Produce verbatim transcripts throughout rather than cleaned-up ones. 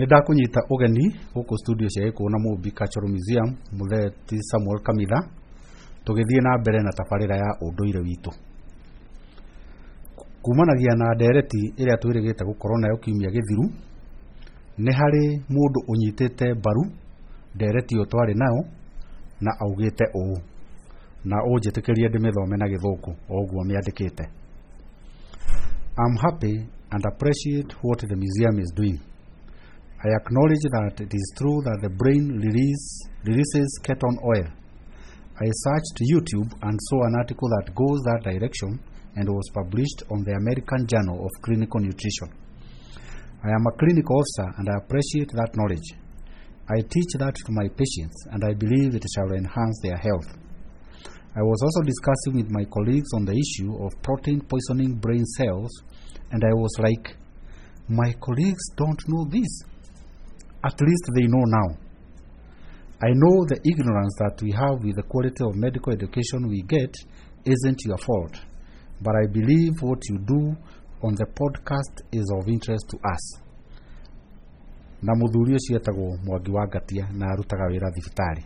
Nĩ ndakũnyita ũgeni gũkũ studio cia Gĩkũyũ na Mũmbi Cultural Museum, Mũthee ti Samuel Kamitha, tũgĩthiĩ na mbere na tabarĩra ya ũndũire witũ. Kumanagia na ndereti ĩrĩa twĩrĩgĩte gũkorwo nayo kiumia gĩthiru, nĩ harĩ mũndũ ũnyitĩte mbaru ndereti ĩyo twarĩ nayo na augĩte ũũ, na ũnjĩtĩkĩrie ndĩmĩthome na Gĩthũngũ o ũguo mĩandĩkĩte. "I'm happy and appreciate what the museum is doing. I acknowledge that it is true that the brain release, releases ketone oil. I searched YouTube and saw an article that goes that direction and was published on the American Journal of Clinical Nutrition. I am a clinical officer and I appreciate that knowledge. I teach that to my patients and I believe it shall enhance their health. I was also discussing with my colleagues on the issue of protein poisoning brain cells, and I was like, 'My colleagues don't know this.' At least they know now. I know the ignorance that we have with the quality of medical education we get isn't your fault, but I believe what you do on the podcast is of interest to us." Na mũthuri ũcio etagwo Mwangi wa Ngatia na arutaga wĩra thibitarĩ.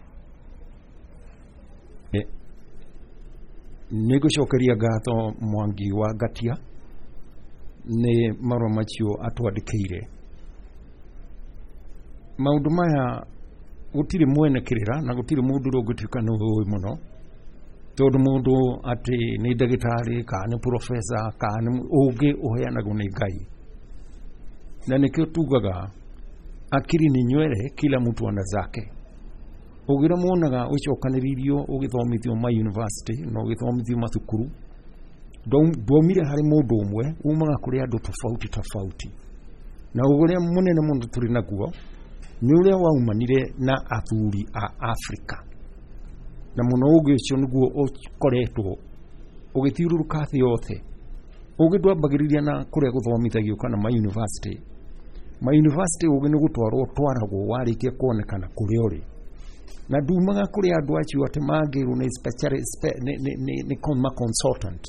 Nĩ ngũcokeria ngatho Mwangi wa Ngatia nĩ marũa macio atwandĩkĩire. Maũndũ maya gũtirĩ mwene kĩrĩra na gũtirĩ mũndũ ũrĩa ũngĩtuĩka nĩ ũĩ mũno, tondũ mũndũ atĩ nĩ ndagĩtarĩ kana nĩ professor kana nĩ ũngĩ ũheanagwo nĩ Ngai. Na nĩkĩo tugaga akili ni nywele, kila mtu ana zake. Ũgĩ ũrĩa muonaga ũcokanĩrĩirio ũgĩthomithio ma university na ũgĩthomithio mathukuru ndwaumire harĩ mũndũ ũmwe, umaga kũrĩ andũ tofauti tofauti. Na ũgĩ ũrĩa mũnene mũno tũrĩ naguo nĩ ũrĩa waumanire na athuri a Afrika, na mũno ũgĩ ũcio nĩguo ũkoretwo ũgĩthiũrũrũka thĩ yothe. Ũgĩ ndwambagĩrĩria na kũrĩa gũthomithagio kana ma university. Ma university ũgĩ nĩ gũtwarwo ũtwaragwo warĩkia kuonekana kũrĩa ũrĩ, na ndumaga kũrĩ andũ acio atĩ mangĩrwo nĩ specialist, nĩ nĩ nĩ nĩ ma consultant.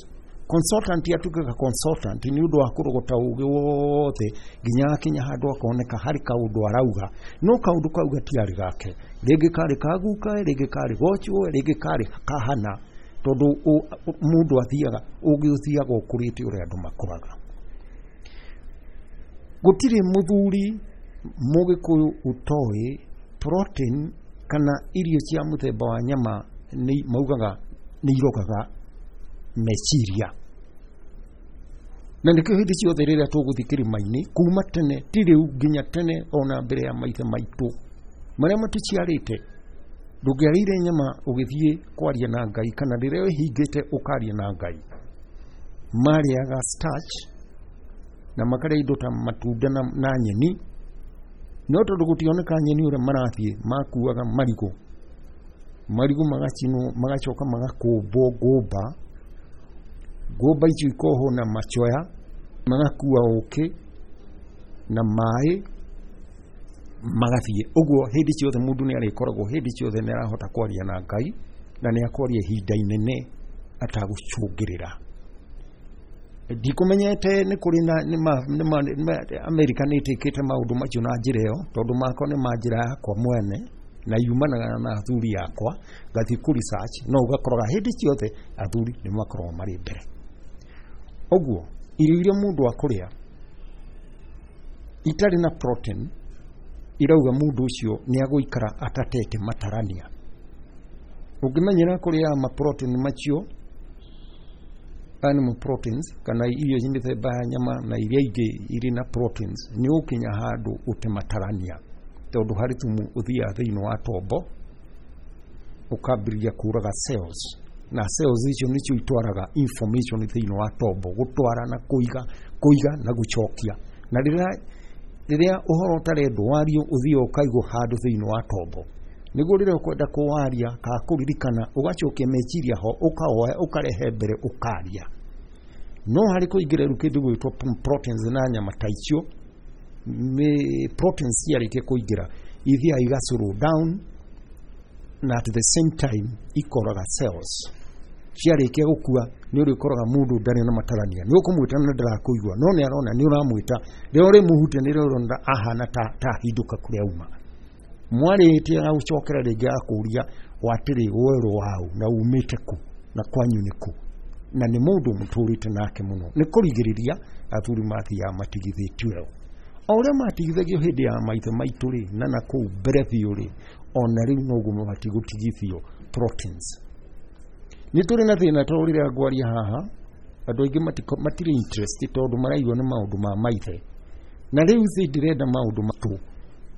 Consultant atuĩkaga consultant nĩ ũndũ wa kũrogota ũgĩ wothe nginya akinya handũ akoneka harĩ kaũndũ arauga, no kaũndũ kau gatiarĩ gake, rĩngĩ karĩ ka guka, rĩngĩ karĩ gocwo, rĩngĩ karĩ kahana, tondũ mũndũ athiaga ũgĩ ũthiaga ũkũrĩte ũrĩa andũ makũraga. Gũtirĩ mũthuri Mũgĩkũyũ ũtoĩ protein kana irio cia mũthemba wa nyama nĩ maugaga nĩ irogaga meciria. Na nĩkĩo hĩndĩ ciothe rĩrĩa tũgũthiĩ kĩrĩma-inĩ kuma tene, ti rĩu nginya tene, ona mbere ya maithe maitũ marĩa matũciarĩte, ndũngĩarĩire nyama ũgĩthiĩ kwaria na Ngai kana rĩrĩa wĩhingĩte ũkaria na Ngai. Marĩaga starch na makarĩa indo ta matunda na, na nyeni, no tondũ gũtioneka nyeni ũrĩa marathiĩ makuaga marigũ, marigũ magacinwo magacoka magakũmbwo ngũmba, ngũmba icio ikohwo na machoya, magakua ũkĩ na maĩ magathiĩ ũguo. Hĩndĩ ciothe mũndũ nĩ arĩkoragwo hĩndĩ ciothe nĩ arahota kwaria na Ngai, na nĩ akwaria ihinda inene atagũcũngĩrĩra. Ndikũmenyete nĩ kũrĩ na nĩ ma, nĩ ma, nĩ Amerika nĩ ĩtĩkĩte maũndũ macio na njĩra ĩyo, tondũ makwa nĩ ma njĩra yakwa mwene na yumanaga na athuri akwa, ngathiĩ kũ research, no ũgakoraga hĩndĩ ciothe athuri nĩ makoragwo marĩ mbere. Ũguo irio iria mũndũ akũrĩa itarĩ na protein irauga mũndũ ũcio nĩ agũikara atatete matarania. Ũngĩmenyera kũrĩa ma protein macio, animal proteins, kana irio mĩthemba ya nyama na iria ingĩ irĩ na proteins, nĩ ũgũkinya handũ ũte matarania, tondũ harĩ thumu ũthiaga thĩinĩ wa tombo ũkambĩrĩria kũraga cells, na cells icio nĩcio itwaraga information thĩinĩ wa tombo, gũtwara na kũiga, kũiga na gũcokia. Na rĩrĩa rĩrĩa ũhoro ũtarendwo wario ũthiaga ũkaigwo handũ thĩinĩ wa tombo, nĩguo rĩrĩa ũkwenda kũwaria kana kũririkana ũgacokia meciria ho, ũkawoya ũkarehe mbere ũkaria. No harĩ kũingĩra rĩu kĩndũ gwĩtwo proteins na nyama ta icio, proteins ciarĩkia kũingĩra ithiaga iga slow down, na at the same time ikoraga cells. Ciarĩkia gũkua nĩ ũrĩkoraga mũndũ ndarĩ na matarania, nĩ ũkũmwĩta na ndarakũigua, no nĩ arona nĩ ũramwĩta. Rĩrĩa ũrĩmũhutia nĩ ũrona ahana ta ta hindũka kũrĩa auma. Mwarĩtie agũcokera rĩngĩ agakũria watĩrĩ werũ waũ na umĩte kũ na kwanyu nĩ kũ, na nĩ mũndũ mũtũrĩte nake mũno. Nĩ kũrigĩrĩria athuri mathiaga matigithĩtio o ũrĩa matigithagio hĩndĩ ya maithe maitũ rĩ, na na kũu mbere biũ rĩ, ona rĩu noguo mabatiĩ gũtigithio proteins. Nĩ tũrĩ na thĩna tondũ rĩrĩa ngwaria haha andũ aingĩ matirĩ interest tondũ maraigua nĩ maũndũ ma maithe, na rĩu thĩ ndĩrenda maũndũ matũ,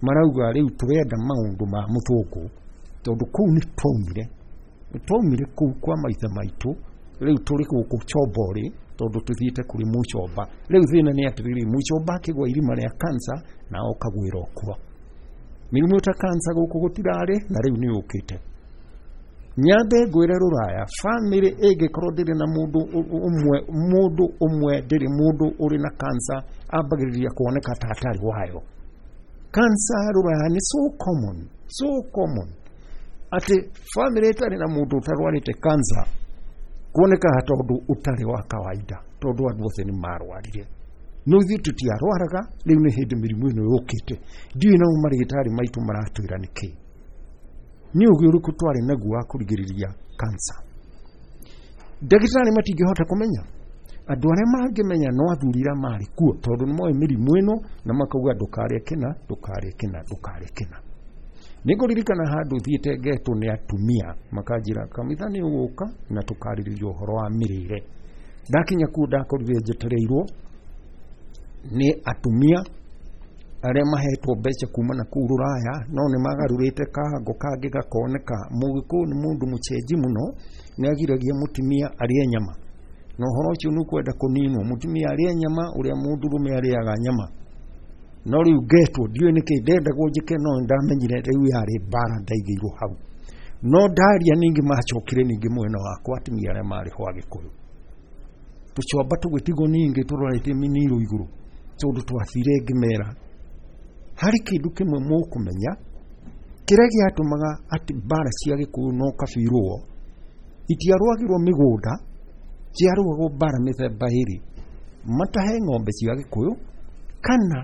marauga rĩu tũrenda maũndũ ma mũthũngũ tondũ kũu nĩ twaumire, nĩ twaumire kũu kwa maithe maitũ, rĩu tũrĩ gũkũ Chomborĩ tondũ tũthiĩte kũrĩ mũcomba. Rĩu thĩna nĩ atĩrĩrĩ, mũcomba akĩgwa irima rĩa cancer na okagwĩra okua. Mĩrimũ ta cancer gũkũ gũtirarĩ na rĩu nĩ yũkĩte. Nyambe ngwĩre rũraya, family ĩngĩkorwo ndĩrĩ na mũndũ ũmwe, mũndũ ũmwe ndĩrĩ mũndũ ũrĩ na cancer ambagĩrĩria kuoneka ta atarĩ wayo. Cancer rũraya nĩ so common, so common atĩ family ĩtarĩ na mũndũ ũtarwarĩte cancer kuonekaga tondũ ũtarĩ wa kawaida, tondũ andũ othe nĩ marwarire. No ithuĩ tũtiarwaraga, rĩu nĩ hĩndĩ mĩrimũ ĩno yũkĩte. Ndiũĩ nao marĩgĩtarĩ maitũ maratwĩra nĩkĩ. Nĩ ũgĩ ũrĩkũ twarĩ naguo wa kũrigĩrĩria cancer? Ndagĩtarĩ matingĩhota kũmenya. Andũ arĩa mangĩmenya no athuri arĩa marĩ kuo, tondũ nĩ moĩ mĩrimũ ĩno na makauga ndũkarĩe kĩna, ndũkarĩe kĩna, ndũkarĩe kĩna. Nĩ ngũririkana handũ thiĩte ngetwo nĩ atumia makanjĩra kamitha nĩ ũgũka na tũkarĩrĩria ũhoro wa mĩrĩre. Ndakinya kuo ndakorire njetereirwo nĩ atumia arĩa mahetwo mbeca kuma na kũu rũraya, no nĩ magarũrĩte kahango kangĩ gakoneka. Mũgĩkũyũ nĩ mũndũ mũcenji mũno, nĩ agiragia mũtumia arĩe nyama, na ũhoro ũcio nĩ ũkwenda kũninwo. Mũtumia arĩe nyama ũrĩa mũndũrũme arĩaga nyama. No rĩu ngetwo ndiũĩ nĩkĩ ndendagwo njĩke, no ndamenyire rĩu yarĩ mbara ndaigĩirwo hau. No ndaria ningĩ macokire ningĩ mwena wakwa atumia arĩa marĩ ho Agĩkũyũ, tũcomba tũgĩtigwo ningĩ tũrorete mĩniro igũrũ, tondũ twathire ngĩmera harĩ kĩndũ kĩmwe mũkũmenya kĩrĩa gĩatũmaga atĩ mbara cia Gĩkũyũ no kabirwo itiarũagĩrwo mĩgũnda, ciarũagwo mbara mĩthemba ĩrĩ, matahe ng'ombe cia Gĩkũyũ kana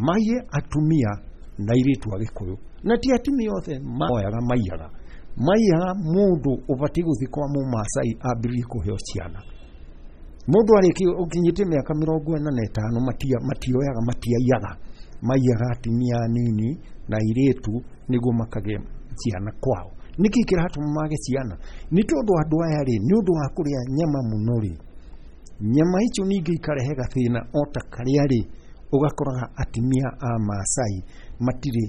maiye atumia na airĩtu a Gĩkũyũ. Na ti atumia othe moyaga, maiyaga maiyaga mũndũ ũbatiĩ gũthiĩ kwa Mũmaasai ambĩrĩrie kũheo ciana. Mũndũ arĩkia ũkinyĩtie mĩaka mĩrongo ĩna na ĩtano matioyaga, matiaiyaga, maiyaga atumia anini na airĩtu nĩguo makagĩe ciana kwao. Nĩkĩ kĩratũma mage ciana? Nĩ tondũ andũ aya rĩ, nĩ ũndũ wa kũrĩa nyama mũno rĩ, nyama icio ningĩ ikarehe gathĩna o ta karĩa rĩ, ũgakoraga atumia a Maasai matirĩ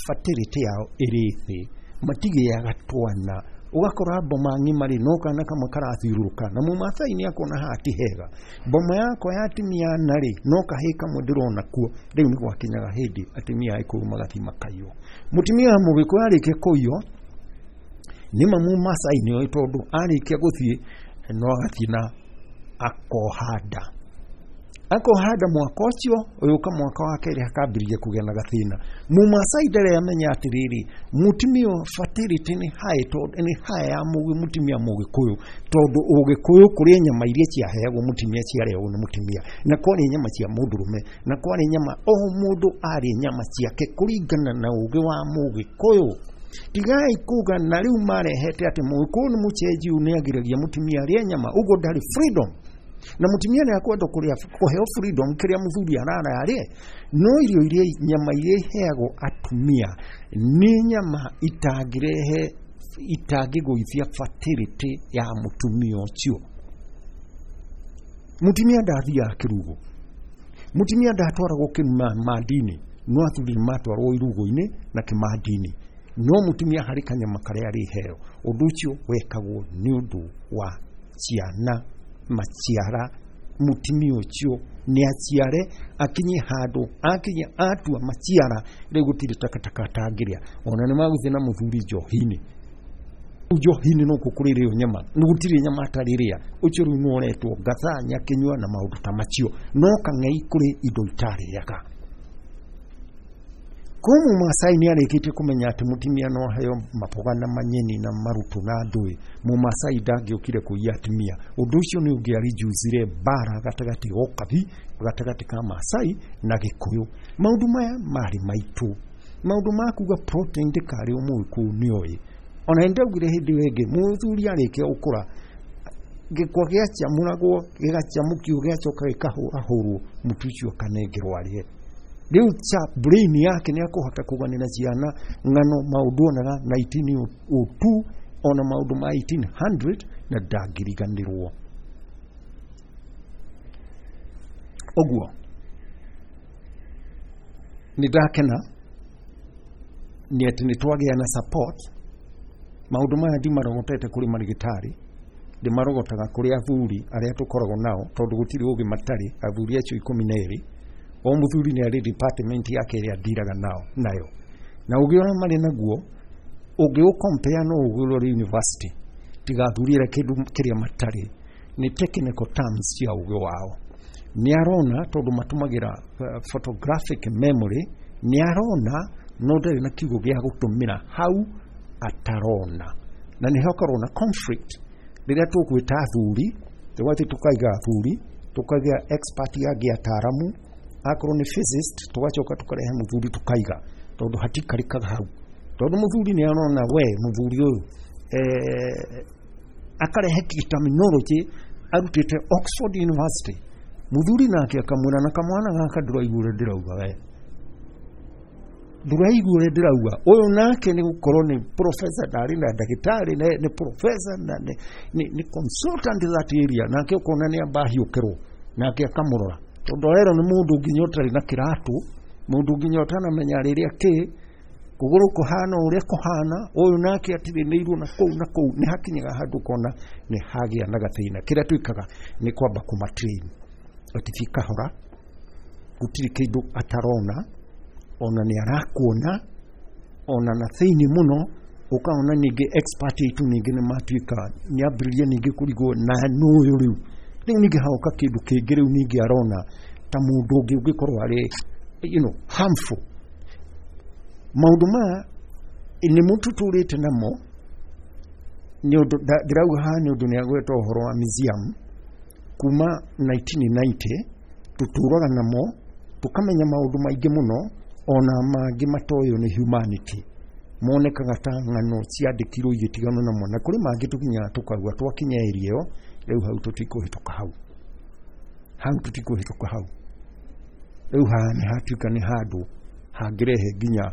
fertility yao ĩrĩ thĩ, matigĩaga twana. Ũgakora mboma ng'ima rĩ, no kana kamwe karathiũrũrũka, na Mũmaasai nĩ akuona haha ti hega. Mboma yakwa ya atumia ana rĩ, no kahĩĩ kamwe ndĩrona kuo. Rĩu nĩ gwakinyaga hĩndĩ atumia a Gĩkũyũ magathiĩ makaiywo. Mũtumia wa Mũgĩkũyũ arĩkia kũiywo, nĩ ma Mũmaasai nĩoĩ, tondũ arĩkia gũthiĩ no agathiĩ na akoha nda, akoha nda mwaka ũcio ũyũka mwaka wa kerĩ akambĩrĩria kũgĩa na gathĩna. Mũmaasai ndarĩ amenya atĩrĩrĩ, mũtumia fertility nĩ high, tondũ nĩ high ya mũtumia Mũgĩkũyũ, tondũ Ũgĩkũyũ kũrĩ nyama iria ciaheagwo mũtumia ciarĩagwo nĩ mũtumia, na kwarĩ nyama cia mũndũrũme, na kwarĩ nyama o mũndũ arĩ nyama ciake kũringana na ũgĩ wa Mũgĩkũyũ. Tigai kuga na rĩu marehete atĩ Mũgĩkũyũ nĩ mũcenji, nĩ agiragia mũtumia arĩe nyama, ũguo ndarĩ freedom. Na mũtumia nĩ akwenda kũrĩa kũheo freedom kĩrĩa mũthuri arara arĩe, no irio iria nyama iria iheagwo atumia nĩ nyama itangĩrehe itangĩgũithia fertility ya mũtumia ũcio. Mũtumia ndathiaga kĩrugo, mũtumia ndatwaragwo kĩmandini, no athuri nĩ matwaragwo irugo-inĩ na kĩmandini, no mũtumia harĩ kanyama karĩa arĩheo. Ũndũ ũcio wekagwo nĩ ũndũ wa ciana maciara, mũtumia ũcio nĩ aciare akinye handũ akinye atua maciara, rĩu gũtirĩ takataka atangĩrĩa. Ona nĩ magũthiĩ na mũthuri njohi-inĩ, njohi-inĩ no kuo kũrĩrĩo nyama, nĩ gũtirĩ nyama atarĩrĩa. Ũcio rĩu nĩ ũretwo ngatha nyakĩnyua na maũndũ ta macio, no kang'ei kũrĩ indo itarĩaga. Ko Mũmaasai nĩ arĩkĩtie kũmenya atĩ mũtumia no aheo maboga na manyeni na marutu na ndũĩ, Mũmaasai ndangĩokire kũiya atumia. Ũndũ ũcio nĩ ũngĩarijuzire mbara gatagatĩ ga ũkabi, gatagatĩ ka Maasai na Gĩkũyũ. Maũndũ maya marĩ maitũ. Maũndũ ma kuga protein ndĩkarĩo Mũgĩkũyũ nĩoĩ. Ona nĩndaugire hĩndĩ ĩyo ĩngĩ, mũthuri arĩkia gũkũra, gĩkwa gĩacamũragwo, gĩgacamũkio, gĩgacoka gĩkahũrahũrwo, mũtu ũcio ũkanengerwo arĩe. Rĩu cha brain yake nĩ akũhota kũganĩra ciana ng'ano maũndũ onaga nineteen oh two ona maũndũ ma eighteen hundred na ndangĩriganĩrwo. Ũguo nĩ ndakena nĩ atĩ nĩ twagĩa na support. Maũndũ maya ndimarogotete kũrĩ marigitari, ndĩmarogotaga kũrĩ athuri arĩa tũkoragwo nao, tondũ gũtirĩ ũngĩ matarĩ athuri acio ikũmi na erĩ. O mũthuri nĩ arĩ department yake ĩrĩa ndiraga nao nayo, na ũgĩ ũrĩa marĩ naguo ũngĩũcompare no ũgĩ ũrĩa ũrĩ university, tiga athuri arĩa kĩndũ kĩrĩa matarĩ nĩ technical terms cia ũgĩ wao. Nĩ arona tondũ matũmagĩra uh, photographic memory, nĩ arona no ndarĩ na kiugo gĩa gũtũmĩra hau atarona, na nĩ hakorwo na conflict rĩrĩa tũgwĩta athuri, tũgathiĩ tũkaiga athuri, tũkaiga expert angĩ ataaramu, akorwo nĩ physicist tũgacoka tũkarehe mũthuri tũkaiga, tondũ hatikarĩkaga hau, tondũ mũthuri nĩ arona we mũthuri ũyũ eh, akarehe terminology arutĩte Oxford University, mũthuri nake akamwĩra na kamwana gaka ndũraigua ũrĩa ndĩrauga we, ndũraigua ũrĩa ndĩrauga. Ũyũ nake nĩ gũkorwo nĩ professor, ndarĩ na ndagĩtarĩ, nĩ professor na nĩ, nĩ, nĩ consultant that area, nake ũkona nĩ amba ahiũkĩrwo, nake akamũrora, tondũ arerwo nĩ mũndũ nginya ũtarĩ na kĩratũ, mũndũ nginya ũtanamenya rĩrĩa kĩ kũgũrũ kũhana ũrĩa kũhana, ũyũ nake atirĩnĩirwo na kũu na kũu. Nĩ hakinyaga handũ ũkona nĩ hagĩa na gathĩna. Kĩrĩa twĩkaga nĩ kwamba kũmatrain atĩ thiĩ kahora, gũtirĩ kĩndũ atarona, ona nĩ arakuona, ona na thĩinĩ mũno ũkaona ningĩ expert aitũ ningĩ nĩ matuĩka nĩ ambĩrĩria ningĩ kũrigwo na nũyũ rĩu. Rĩu ningĩ haoka kĩndũ kĩngĩ rĩu ningĩ arona ta mũndũ ũngĩ ũngĩkorwo arĩ you know, harmful. Maũndũ maya nĩ mũtũtũrĩte namo, nĩ ũndũ ndĩrauga haha nĩ ũndũ nĩ agweta ũhoro wa museum kuma nineteen ninety, tũtũraga namo tũkamenya maũndũ maingĩ mũno, ona mangĩ matoywo nĩ humanity, monekaga ta ng'ano ciandĩkirwo igĩtiganwo namo, na kũrĩ mangĩ tũkinyaga tũkauga twakinya area ĩyo rĩu hau tũtikũhĩtũka hau, hau tũtikũhĩtũka hau. Rĩu haha nĩ hatuĩka nĩ handũ hangĩrehe nginya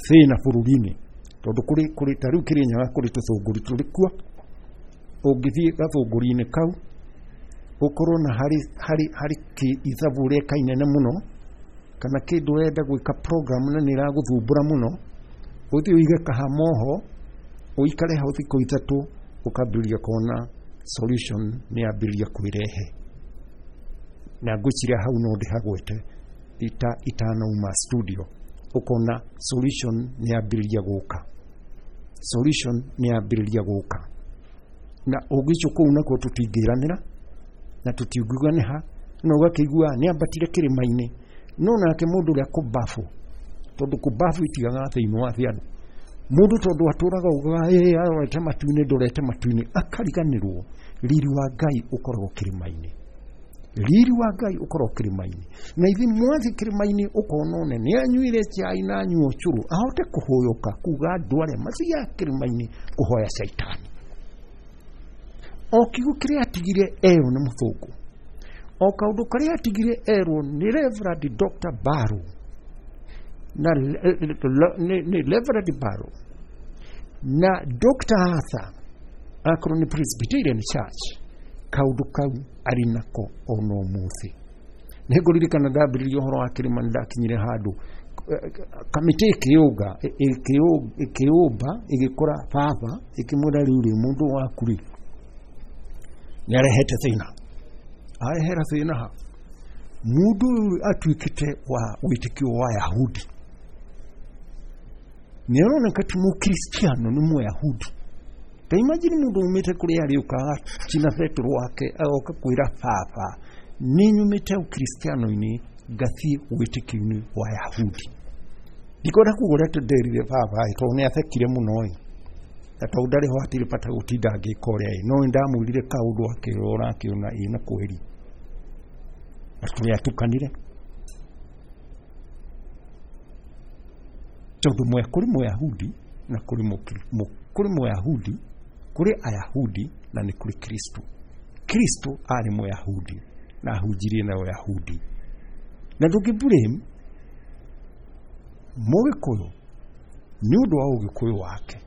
thĩna bũrũri-inĩ, tondũ kũrĩ kũrĩ ta rĩu Kĩrĩnyaga kũrĩ tũthũngũri tũrĩ kuo, ũngĩthiĩ gathũngũri-inĩ kau ũkorwo na harĩ harĩ harĩ ithabu ũreka inene mũno, kana kĩndũ ũrenda gwĩka program na nĩ ĩragũthumbũra mũno, ũthiĩ ũige kahama oho, ũikare hau thikũ ithatũ, ũkambĩrĩria kuona solution nĩ yambĩrĩria kwĩrehe. Na ngwĩciria hau no ndĩhagwete ita itanauma studio, ũkona solution nĩ yambĩrĩria gũka, solution nĩ yambĩrĩria gũka. Na ũngĩcio kũu nakuo tũtingĩranĩra na tũtingiuga nĩ ha, no ũgakĩigua nĩ ambatire kĩrĩma-inĩ, no nake mũndũ ũrĩa kũbabu, tondũ kũbabu itigaga thĩinĩ wa thĩ andũ, mũndũ tondũ atũraga ugaga ĩ arorete matu-inĩ, ndorete matu-inĩ, akariganĩrwo riri wa Ngai ũkoragwo kĩrĩma-inĩ, riri wa Ngai ũkoragwo kĩrĩma-inĩ. Na ithuĩ mwathiĩ kĩrĩma-inĩ ũkona one nĩ anyuire chai na anyua ũcũrũ, ahote kũhũyũka kuga andũ arĩa mathiaga kĩrĩma-inĩ kũhoya caitani. O kiugo kĩrĩa atigire erwo nĩ mũthũngũ, o kaũndũ karĩa atigire erwo nĩ Reverend Doctor Barrow na nĩ Reverend Barrow na Doctor Arthur, akorwo nĩ Presbyterian Church, kaũndũ kau arĩ nako ona ũmũthĩ. Nĩ ngũririkana ndambĩrĩria ũhoro wa kĩrĩma, nĩ ndakinyire handũ kamĩtĩ ĩkĩũnga ĩkĩũmba ĩgĩkora baba ĩkĩmwĩra rĩu rĩ mũndũ waku rĩ nĩ arehete thĩna, arehera thĩna ha mũndũ ũyũ atuĩkĩte wa wĩtĩkio wa Yahudi, nĩ aroneka ti mũkristiano, nĩ mũyahudi. Ta imagine mũndũ umĩte kũrĩa arĩ ũkaga china Petro wake agoka kwĩra baba nĩ nyumĩte ũkristiano-inĩ Ngathiĩ wĩtĩkio-inĩ wa Yahudi. Ndikwenda kuga ũrĩa nderire baba ĩ, tondũ nĩ athekire mũno ĩ, na tondũ ndarĩ ho hatirĩ bata gũtinda ngĩka ũrĩa ĩ, no nĩ ndamwĩrire kaũndũ akĩrora akĩona ĩ na kweri, na tũrĩatukanire tondũ mwe kũrĩ Mũyahudi na kũrĩ kũrĩ Mũyahudi, kũrĩ Ayahudi na nĩ kũrĩ Kristo. Kristo arĩ Mũyahudi na ahunjirie na Ũyahudi, na ndũngĩ blame Mũgĩkũyũ nĩ ũndũ wa ũgĩkũyũ wake.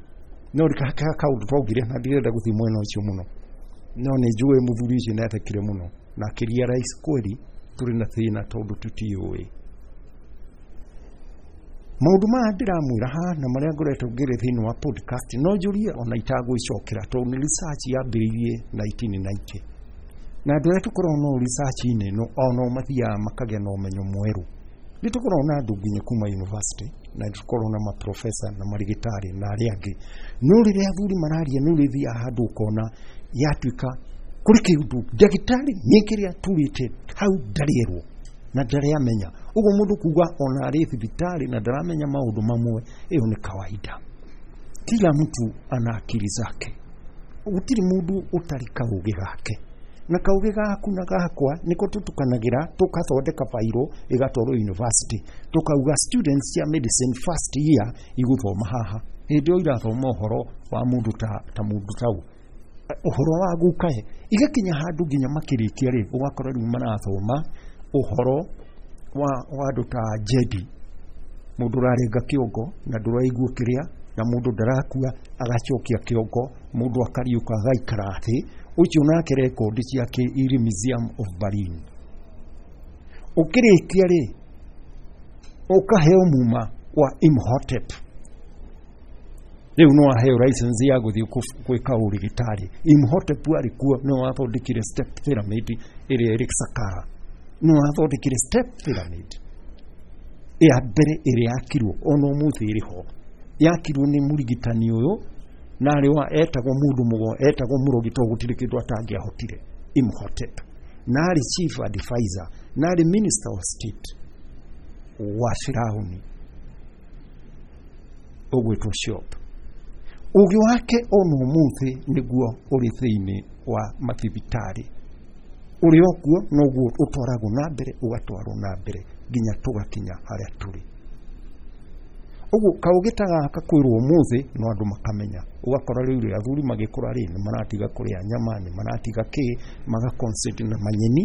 No rĩka kaũndũ twaugire na ndirenda gũthiĩ mwena ũcio mũno, no nĩ njũĩ mũthuri ũcio nĩ athekire mũno na akĩria rais kweli tũrĩ na thĩna tondũ tũtiũĩ maũndũ maya ndĩramwĩra haha na marĩa ngoretwo ngĩrĩ thĩinĩ wa podcast. No njũrie ona itagwĩcokera tondũ nĩ research yambĩrĩirie nineteen ninety, na andũ arĩa tũkoragwo no research-inĩ ĩno o nao mathiaga makagĩa na ũmenyo mwerũ. Nĩ tũkoragwo na andũ nginya kuma university, na nĩ tũkoragwo na maprofesa na marigitari na arĩa angĩ, no rĩrĩa athuri mararia nĩ ũrĩthiaga handũ ũkona yatuĩka kũrĩ kĩndũ ndagĩtarĩ nĩ kĩrĩa aturĩte hau ndarĩerwo na ndarĩ amenya. Ũguo mũndũ kuga ona arĩ thibitarĩ na ndaramenya maũndũ mamwe, ĩyo nĩ kawaida. Kila mtu ana akili zake, gũtirĩ mũndũ ũtarĩ kaũgĩ gake, na kaũgĩ gaku na gakwa nĩko tũtukanagĩra tũkathondeka bairo ĩgatwarwo university, tũkauga students cia medicine first year igũthoma haha, hĩndĩ ĩyo irathoma ũhoro wa mũndũ ta, ta mũndũ tau ũhoro wa gukae, igakinya handũ nginya makĩrĩkia rĩ, ũgakora rĩu marathoma ũhoro wa wa andũ ta Jedi, mũndũ ũrarenga kĩongo na ndũraigua kĩrĩa, na mũndũ ndarakua agacokia kĩongo, mũndũ akariũka agaikara thĩ, ũcio nake rekondi ciake irĩ Museum of Berlin. Ũkĩrĩkia rĩ, ũkaheo muma wa Imhotep, rĩu no aheo license ya gũthiĩ gwĩka ũrigitari. Imhotep arĩ kuo nĩwe wathondekire step pyramid ĩrĩa ĩrĩ Saqqara, nĩwe wathondekire step pyramid ya mbere ĩrĩa yakirwo ona ũmũthĩ ĩrĩ ho, yakirwo nĩ mũrigitani ũyũ na arĩ wa etagwo mũndũ mũgo, etagwo mũrogi tondũ gũtirĩ kĩndũ atangĩahotire, Imhotep, na arĩ chief advisor, na arĩ minister of state wa Firauni ũgwĩtwo Shop. Ũgĩ wake ona ũmũthĩ nĩguo ũrĩ thĩinĩ wa mathibitarĩ, ũrĩ o kuo noguo ũtwaragwo na mbere, ũgatwarwo na mbere nginya tũgakinya harĩa tũrĩ. Ũguo kaũgĩ ta gaka kwĩrwo ũmũthĩ no andũ makamenya, ũgakora rĩu rĩ athuri magĩkũra rĩ nĩ maratiga kũrĩa nyama, nĩ maratiga kĩ, maga concentrate na manyeni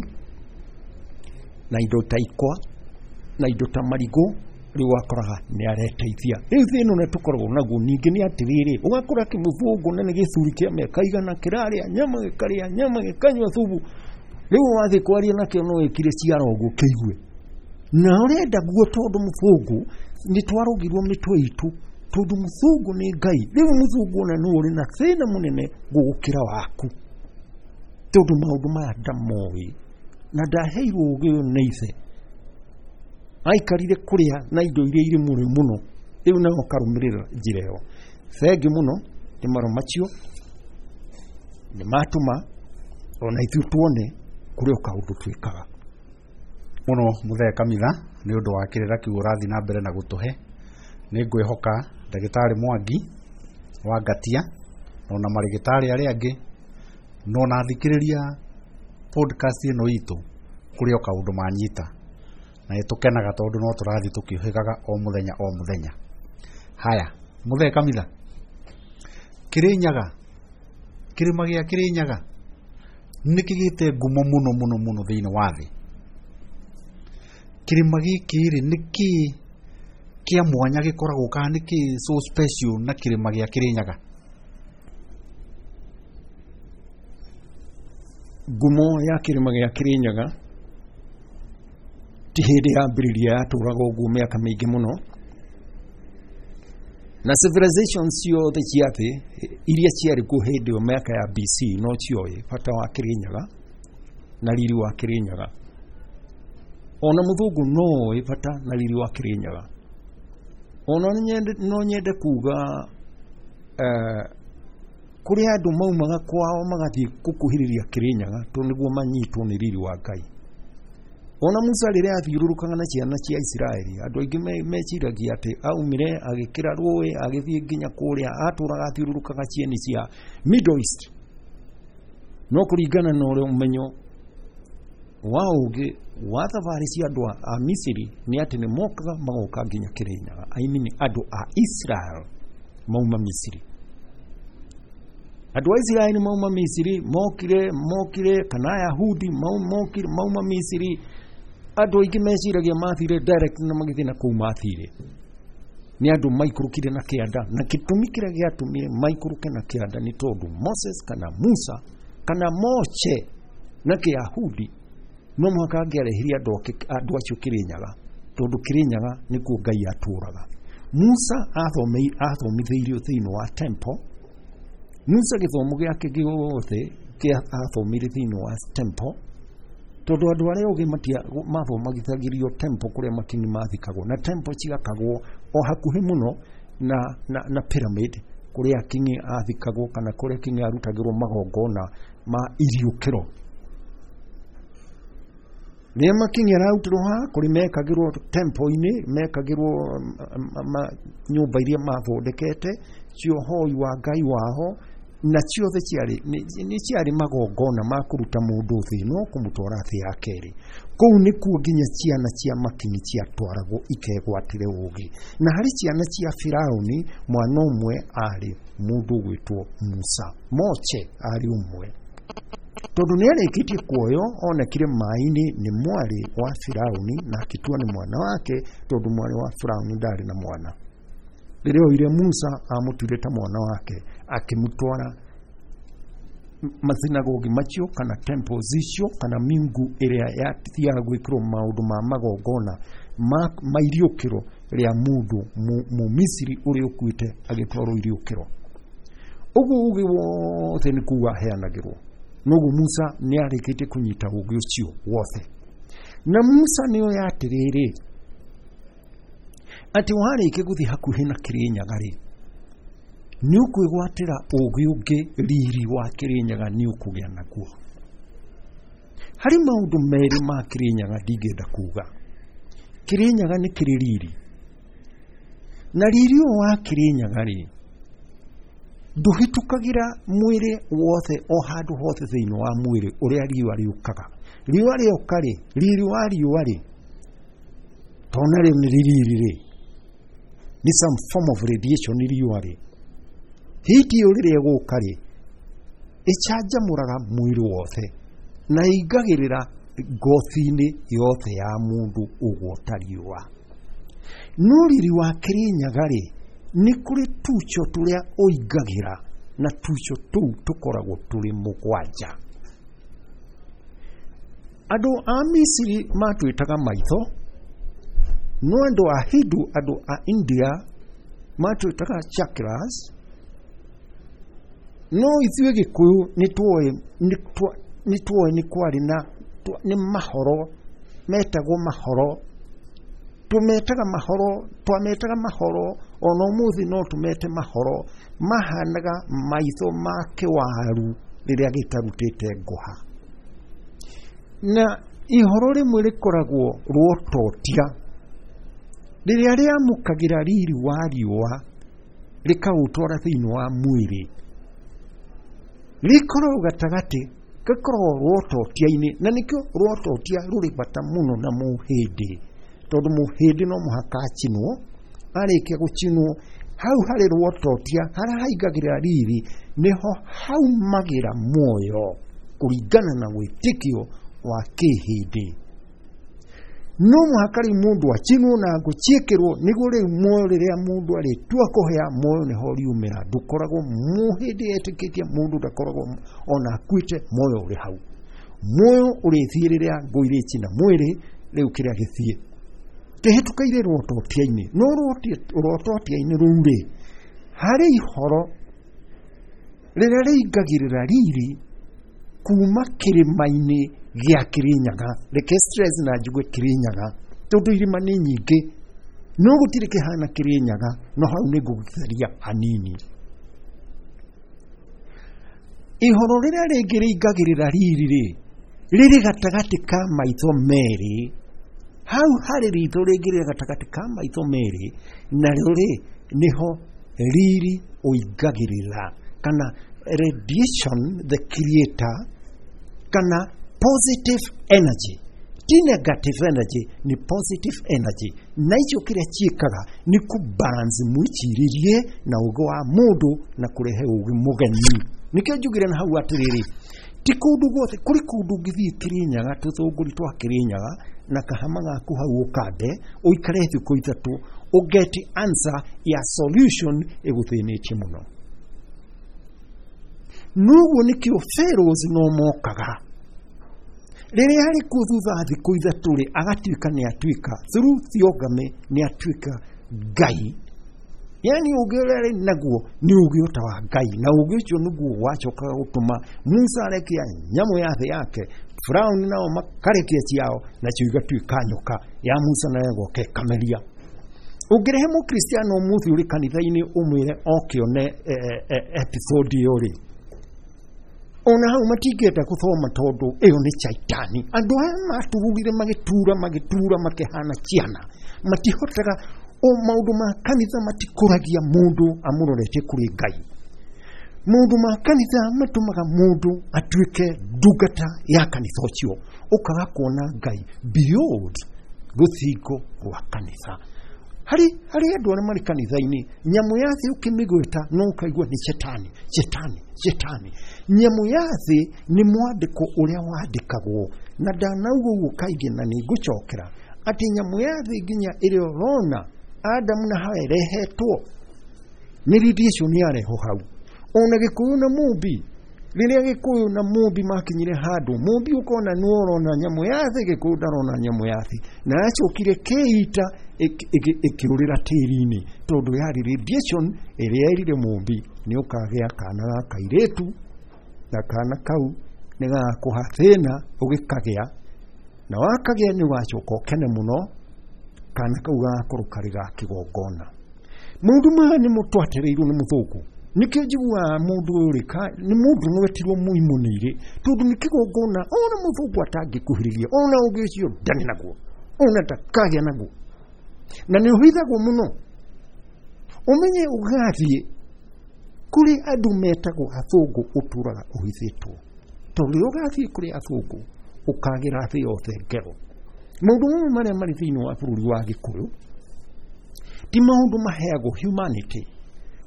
na indo ta ikwa na indo ta marigũ, rĩu wakoraga nĩ areteithia. Rĩu thĩna ũrĩa tũkoragwo naguo ningĩ nĩ atĩrĩrĩ, ũgakora kĩmũthũngũ na nĩ gĩcuri kĩa mĩaka igana kĩrarĩa nyama gĩkarĩa nyama gĩkanyua thubu, rĩu wathiĩ kwaria nakĩo no wĩkire ciara ũguo kĩigue na ũrenda guo, tondũ mũthũngũ nĩ twarũgirwo mĩtwe itũ, tondũ mũthũngũ nĩ Ngai. Rĩu mũthũngũ ona nĩ ũrĩ na thĩna mũnene gũgũkĩra waku, tondũ maũndũ maya ndamoĩ na ndaheirwo ũgĩ ũyũ nĩ ithe, aikarire kũrĩa na indo iria irĩ mũrĩ mũno, rĩu nawe ũkarũmĩrĩra njĩra ĩyo. Thengi mũno nĩ maro macio nĩ matũma ona ithuĩ tuone kũrĩ o kaũndũ twĩkaga mũno. Mũthee Kamitha, nĩ ũndũ wa kĩrĩra kĩu ũrathiĩ na mbere na gũtũhe, nĩ ngwĩhoka ndagĩtarĩ Mwangi wa Ngatia ona marĩgĩtarĩ arĩa angĩ no ona athikĩrĩria podcast ĩno itũ kũrĩ o kaũndũ manyita, na nĩ tũkenaga tondũ no tũrathiĩ tũkĩũhĩgaga o mũthenya o mũthenya. Haya, Mũthee Kamitha, Kĩrĩnyaga, kĩrĩma gĩa Kĩrĩnyaga nĩ kĩgĩte ngumo mũno mũno mũno thĩinĩ wa thĩ. Kĩrĩma gĩkĩ rĩ, nĩ kĩĩ kĩa mwanya gĩkoragwo kana nĩ kĩĩ so special na kĩrĩma gĩa Kĩrĩnyaga? Ngumo ya kĩrĩma gĩa Kĩrĩnyaga ti hĩndĩ yambĩrĩria, yatũraga ũguo mĩaka mĩingĩ mũno, na civilization ciothe cia thĩ iria ciarĩ kuo hĩndĩ ĩyo mĩaka ya B C no cioĩ bata wa Kĩrĩnyaga na riri wa Kĩrĩnyaga. Ona mũthũngũ no oĩ bata na riri wa Kĩrĩnyaga. Ona no nyende kuga eh, kũrĩ andũ maumaga kwao magathiĩ gũkuhĩrĩria Kĩrĩnyaga tondũ nĩguo manyitwo nĩ riri wa Ngai. Ona Musa rĩrĩa athiũrũrũkaga na ciana cia Isiraeli, andũ aingĩ meciragia atĩ aumire agĩkĩra rũĩ agĩthiĩ nginya kũrĩa atũraga athiũrũrũkaga cieni cia Middle East. No kũringana na ũrĩa ũmenyo wa ũgĩ wa thabarĩ cia andũ a Misiri nĩ atĩ nĩ mokaga magoka nginya Kĩrĩnyaga. I mean andũ a Israel mauma Misiri. Andũ a Israeli mauma Misiri mokire mokire kana Ayahudi mokire mauma Misiri. Andũ aingĩ meciragia mathire direct na magĩthiĩ na kũu mathire. Nĩ andũ maikũrũkire na kĩanda, na gĩtũmi kĩrĩa gĩatũmire maikũrũke na kĩanda nĩ tondũ Moses kana Musa kana Moche na Kĩyahudi no mũhaka angĩarehirie andũ andũ acio Kĩrĩnyaga, tondũ Kĩrĩnyaga nĩkuo Ngai atũraga. Musa athomithĩirio thĩinĩ wa temple. Musa gĩthomo gĩake gĩothe kĩa athomire thĩinĩ wa temple, tondũ andũ arĩa ogĩ mathomagithagĩrio temple kũrĩa makini mathikagwo, na temple ciakagwo o hakuhĩ mũno na, na, na pyramid kũrĩa kingi athikagwo kana kũrĩa kingi arutagĩrwo magongona ma iriũkĩro. Rĩrĩa makingi ararutĩrwo haha kũrĩ mekagĩrwo temple-inĩ, mekagĩrwo nyũmba iria mathondekete cia ũhoi wa Ngai wao, na ciothe ciarĩ nĩ ciarĩ magongona ma kũruta mũndũ thĩ ĩno kũmũtwara thĩ ya kerĩ. Kũu nĩkuo nginya ciana cia makinyi ciatwaragwo ikegwatĩre ũgĩ. Na harĩ ciana cia Firaũni mwana ũmwe arĩ mũndũ ũgwĩtwo Musa. Moche arĩ ũmwe, tondũ nĩ arĩkĩtie kuoyo onekire maĩ-inĩ nĩ mwarĩ wa Firaũni na akĩtua nĩ mwana wake, tondũ mwarĩ wa Firaũni ndarĩ na mwana. Rĩrĩa oire Musa amũtuire ta mwana wake, akĩmũtwara masinagogi macio kana temples icio kana mingu ĩrĩa yathiaga gwĩkĩrwo maũndũ ma magongona ma iriũkĩro rĩa mũndũ Mũmisiri ũrĩa ũkuĩte agĩtwarwo iriũkĩro. Ũguo ũgĩ wothe nĩ kũu aheanagĩrwo. Noguo Musa nĩ arĩkĩtie kũnyita ũgĩ ũcio wothe. Na Musa nĩ oĩ atĩrĩrĩ, atĩ warĩkia gũthiĩ hakuhĩ na Kĩrĩnyaga rĩ, nĩ ũkwĩgwatĩra ũgĩ ũngĩ, riri wa Kĩrĩnyaga nĩ ũkũgĩa naguo. Harĩ maũndũ merĩ ma Kĩrĩnyaga ndingĩenda kuga. Kĩrĩnyaga nĩ kĩrĩ riri, na riri ũyũ wa Kĩrĩnyaga rĩ ndũhĩtũkagĩra mwĩrĩ wothe o handũ hothe thĩinĩ wa mwĩrĩ ũrĩa riũa rĩũkaga. Riũa rĩoka rĩ, riri wa riũa rĩ, tona rĩu nĩ riri rĩ, nĩ some form of radiation riũa rĩ, hiti ĩyo rĩrĩa ĩgũka rĩ, ĩcanjamũraga mwĩrĩ wothe na ĩingagĩrĩra ngothi-inĩ yothe ya mũndũ ũguo ta riũa. No riri wa Kĩrĩnyaga rĩ, nĩ kũrĩ tucho tũrĩa ũingagĩra, na tucho tũu tũkoragwo tũrĩ mũgwanja. Andũ a Misiri matwĩtaga maitho, no andũ a Hindu, andũ a India matwĩtaga chakras. No ithuĩ Gĩkũyũ nĩ tuoĩ nĩ kwarĩ na nĩ mahoro metagwo mahoro, tũmetaga mahoro, twametaga mahoro ona ũmũthĩ no tũmete mahoro, mahanaga maitho ma kĩwaru rĩrĩa gĩtarutĩte ngũha. Na ihoro rĩmwe rĩkoragwo rwototia rĩrĩa rĩamũkagĩra riri wa riũa rĩkaũtwara thĩinĩ wa mwĩrĩ, rĩkoragwo gatagatĩ, gakoragwo rwototia-inĩ, na nĩkĩo rwototia rũrĩ bata mũno na mũhĩndĩ, tondũ mũhĩndĩ no mũhaka acinwo. Arĩkia gũcinwo hau harĩ rwototia harĩa haingagĩrĩra riri nĩho haumagĩra muoyo kũringana na wĩtĩkio wa kĩhĩndĩ. No mũhaka rĩu mũndũ acinwo na ngũ ciĩkĩrwo nĩguo rĩu muoyo rĩrĩa mũndũ arĩtua kũhĩa muoyo nĩho riumĩra. Ndũkoragwo mũhĩndĩ etĩkĩtie mũndũ ndakoragwo ona akuĩte, muoyo ũrĩ hau. Muoyo ũrĩthiĩ rĩrĩa ngũ irĩcina mwĩrĩ, rĩu kĩrĩa gĩthiĩ kĩhĩtũkĩire rwototia-inĩ. No rwototia-inĩ rũu rĩ, harĩ ihoro rĩrĩa rĩingagĩrĩra riri kuma kĩrĩma-inĩ gĩa Kĩrĩnyaga. Reke stress na njuge Kĩrĩnyaga tondũ irĩma nĩ nyingĩ, no gũtirĩ kĩhana Kĩrĩnyaga, no hau nĩ ngũgĩtheria hanini. Ihoro rĩrĩa rĩngĩ rĩingagĩrĩra riri rĩ, Rĩrĩ gatagatĩ ka maitho merĩ, hau harĩ ritho rĩngĩ rĩ gatagatĩ ka maitho merĩ, narĩo rĩ nĩho riri ũingagĩrĩra, kana radiation the creator, kana positive energy. Ti negative energy, ni positive energy. Na icio kĩrĩa ciĩkaga nĩ kũ balance mwĩcirĩrie na ũgĩ wa mũndũ na kũrehe ũgĩ mũgeni. Nĩkĩo njugire na hau atĩrĩrĩ, ti kũndũ guothe, kũrĩ kũndũ ũngĩthiĩ Kĩrĩnyaga, tũthũngũri twa Kĩrĩnyaga, na kahama gaku hau ũkande, ũikare thikũ ithatũ, ũgeti answer ya solution ĩgũthĩnĩtie mũno. Noguo nĩkĩo pharaohs no mokaga. Rĩrĩa arĩ kuo thutha wa thikũ ithatũ rĩ, agatuĩka nĩ atuĩka, through theogamy nĩ atuĩka Ngai. Yani ũgĩ ũrĩa arĩ naguo nĩ ũgĩ ota wa Ngai, na ũgĩ ũcio nĩguo wacokaga gũtũma Musa arekia nyamũ ya thĩ yake, Firauni nao makarekia ciao, nacio igatuĩka nyoka ya Musa nayo ĩgoka ĩkameria. Ũngĩrehe mũkristiano ũmũthĩ ũrĩ kanitha-inĩ ũmwĩre oke one, eh, eh, episode ĩyo rĩ, ona hau matingĩenda gũthoma tondũ ĩyo nĩ caitani. Andũ aya maturire magĩtura magĩtura makĩhana ciana, matihotaga o maũndũ ma kanitha matikũragia mũndũ amũroretie kũrĩ Ngai. Maũndũ ma kanitha matũmaga mũndũ atuĩke ndungata ya kanitha ũcio, ũkaga kuona Ngai beyond rũthingo rwa kanitha. Harĩ harĩ andũ arĩa marĩ kanitha-inĩ, nyamũ ya thĩ ũkĩmĩgweta no ũkaigua nĩ cetani, cetani, cetani. Nyamũ ya thĩ nĩ mwandĩko ũrĩa wandĩkagwo, na ndanauga ũguo kaingĩ na nĩ ngũcokera atĩ nyamũ ya thĩ nginya ĩrĩa ũrona Adamu na Hawa ĩrehetwo nĩ radiation yarehwo hau. Ona Gĩkũyũ na Mũmbi, rĩrĩa Gĩkũyũ na Mũmbi makinyire handũ, Mũmbi ũkona nĩ ũrona nyamũ ya thĩ, Gĩkũyũ ndarona nyamũ ya thĩ, na yacokire kĩita ĩkĩũrĩra tĩri-inĩ tondũ yarĩ radiation ĩrĩa erire Mũmbi nĩ ũkagĩa kana ga kairĩtu, na kana kau nĩ gagakũha thĩna ũgĩkagĩa, na wakagĩa nĩ ũgacoka ũkene mũno, kana kau gagakorwo karĩ ga kĩgongona. Maũndũ maya nĩ mũtwatereirwo nĩ mũthũngũ. Nĩkĩo njiguaga mũndũ ũyũ rĩ, nĩ mũndũ nĩwetirwo mũimũ nĩ irĩ, tondũ nĩ kĩgongona ona mũthũngũ atangĩkuhĩrĩria, ona ũngĩ ũcio ndarĩ naguo, ona ndakagĩa naguo, na nĩ ũhithagwo mũno. Ũmenye ũgathiĩ kũrĩ andũ metagwo athũngũ, ũtũraga ũhithĩtwo, tondũ rĩrĩa ũgathiĩ kũrĩ athũngũ ũkagĩra thĩ yothe ngero. Maũndũ mamwe marĩa marĩ thĩinĩ wa bũrũri wa Gĩkũyũ ti maũndũ maheagwo humanity.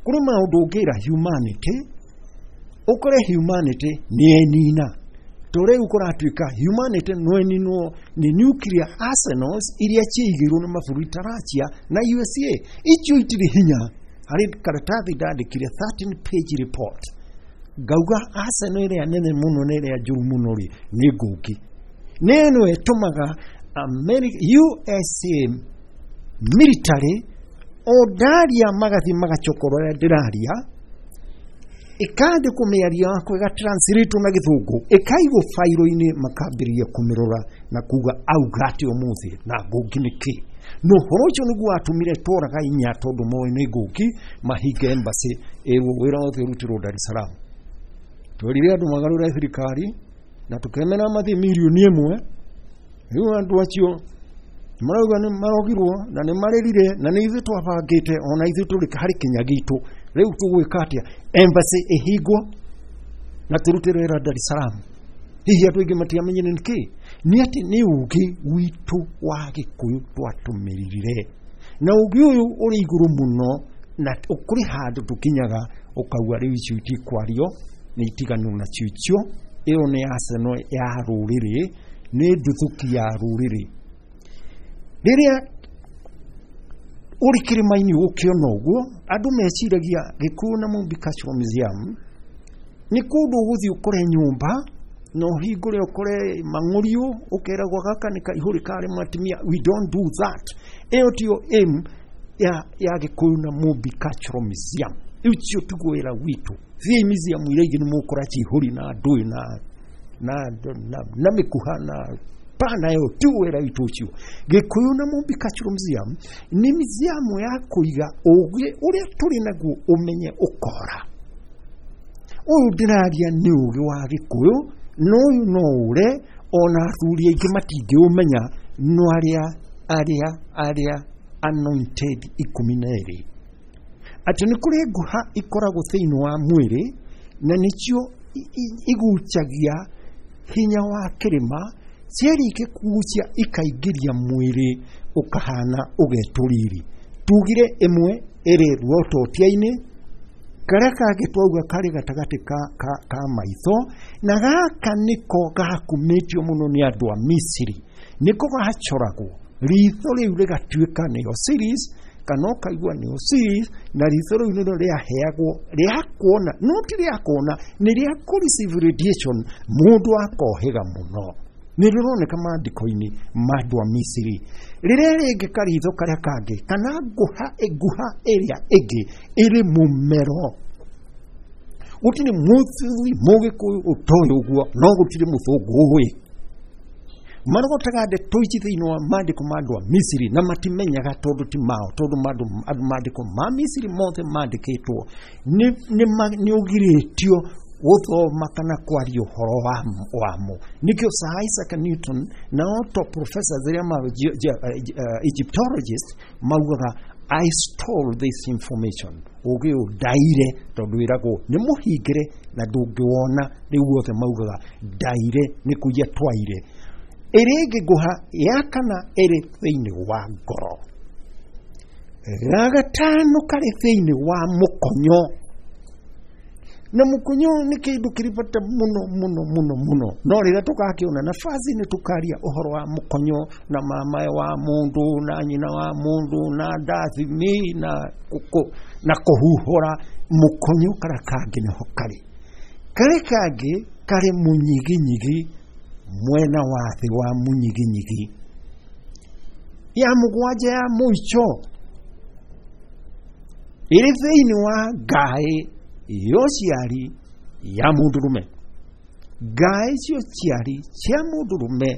Kũrĩ maũndũ ũngĩra humanity, ũkore humanity nĩ enina. To rĩu kũratuĩka humanity no ĩninwo nĩ nuclear arsenals iria ciaigĩirwo nĩ mabũrũri ta Russia na U S A. Icio itirĩ hinya. Harĩ karatathi ndandĩkire thirteen page report, ngauga arsenal ĩrĩa nene mũno na ĩrĩa njũru mũno rĩ nĩ ngũngĩ. Nĩ ĩno ĩtũmaga America, U S A military o ndaria magathiĩ magacokora ũrĩa ndĩraria, ĩkandĩkwo mĩario yakwa ĩgatranslate na gĩthũngũ, ĩkaigwo fairo-inĩ, makambĩrĩria kũmĩrora na kuga auga atĩ ũmũthĩ na ngũngĩ nĩ kĩ. No ũhoro ũcio nĩguo watũmire tworaga inya tondũ moĩ nĩ ngũngĩ, mahinge embassy ĩrwo wĩra wothe ũrutĩrwo Dar es Salaam. Twerire andũ magarũre thirikari na tũkemera mathiĩ mirioni ĩmwe. Rĩu andũ acio marauga nĩ marogirwo na nĩ marĩrire na nĩ ithuĩ twabangĩte, ona ithuĩ tũrĩ harĩ kinya gitũ. Rĩu tũgwĩka atĩa? Embassy ĩhingwo na tũrute wĩra Dar es Salaam. Hihi andũ aingĩ matiamenyire nĩ kĩ? Nĩ atĩ nĩ ũgĩ witũ wa Gĩkũyũ twatũmĩrire, na ũgĩ ũyũ ũrĩ igũrũ mũno, na kũrĩ handũ tũkinyaga ũkauga rĩu icio itikwario, nĩ itiganwo nacio icio. Ĩyo nĩ arsenal ya rũrĩrĩ, nĩ nduthũki ya rũrĩrĩ. Rĩrĩa ũrĩ kĩrĩma-inĩ ũkĩona ũguo, andũ meciragia Gĩkũyũ na Mũmbi Cultural Museum nĩ kũndũ ũgũthiĩ ũkore nyũmba na ũhingũre ũkore mang'ũriũ, ũkeragwo gaka nĩ kaihũrĩ karĩ matimia. We don't do that. Ĩyo tiyo aim ya, ya Gĩkũyũ na Mũmbi Cultural Museum. Ũcio tiguo wĩra witũ. Thiĩi museum iria ingĩ nĩ mũgũkora cihũri na ndũĩ na, na, na, na mĩkuha na pana, ĩyo tiguo wĩra witũ ũcio. Gĩkũyũ na Mũmbi Cultural Museum nĩ museum ya kũiga ũgĩ ũrĩa tũrĩ naguo ũmenye ũkora. Ũyũ ndĩraria nĩ ũgĩ wa Gĩkũyũ, na ũyũ no ũre Ona athuri aingĩ matingĩũmenya, no arĩa arĩa arĩa anointed ikũmi na erĩ, atĩ nĩ kũrĩ nguha ikoragwo thĩinĩ wa mwĩrĩ na nĩcio igucagia hinya wa kĩrĩma, ciarĩkia kugucia ikaingĩria mwĩrĩ ũkahana ũgetwo riri. Tugire ĩmwe ĩrĩ ruototia-inĩ, karĩa kangĩ twauga karĩ gatagatĩ ka, ka, ka maitho, na gaka nĩko gakumĩtio mũno nĩ andũ a Misiri, nĩko gacoragwo ritho rĩu rĩgatuĩka nĩ Osiris, kana ũkaigua nĩ Osiris, na ritho rĩu nĩrĩo rĩaheagwo rĩa kuona, no ti rĩa kuona, nĩ rĩa kũ receive radiation, mũndũ akohĩga mũno. Nĩ rĩroneka maandĩko-inĩ ma andũ a Misiri. Rĩrĩa rĩngĩ karitho karĩa kangĩ kana nguha nguha ĩrĩa ĩngĩ ĩrĩ mũmero. Gũtirĩ mũthuri mũgĩkũyũ ũtoĩ ũguo, no gũtirĩ mũthũngũ ũĩ. Marogotaga ndeto ici thĩinĩ wa maandĩko ma andũ a Misiri na matimenyaga tondũ ti mao, tondũ maandĩko ma Misiri mothe mandĩkĩtwo nĩ ũgirĩtio gũthoma kana kwaria ũhoro wamo. Nĩkĩo Sir Isaac Newton na Otto professors arĩa ma Egyptologist maugaga I stole this information, ũgĩ ũyũ ndaire, tondũ wĩragwo nĩ mũhingĩre na ndũngĩwona. Rĩu othe maugaga ndaire nĩ kũiya twaire. Ĩrĩa ĩngĩ nguha ya kana ĩrĩ thĩinĩ wa ngoro, ga gatano karĩ thĩinĩ wa mũkonyo, na mũkonyo nĩ kĩndũ kĩrĩ bata mũno mũno mũno mũno, no rĩrĩa tũgakĩona nafasi nĩ tũkaria ũhoro wa mũkonyo na mamae wa mũndũ na nyina wa mũndũ na ndathimi na na kũhuhũra. Mũkonyo karĩa kangĩ nĩho karĩ, karĩ kangĩ karĩ mũnyiginyigi, mwena wa thĩ wa mũnyiginyigi. Ya mũgwanja ya mũico ĩrĩ thĩinĩ wa ngaĩ ya ũciari ya mũndũrũme. Ngaĩ cia ũciari cia mũndũrũme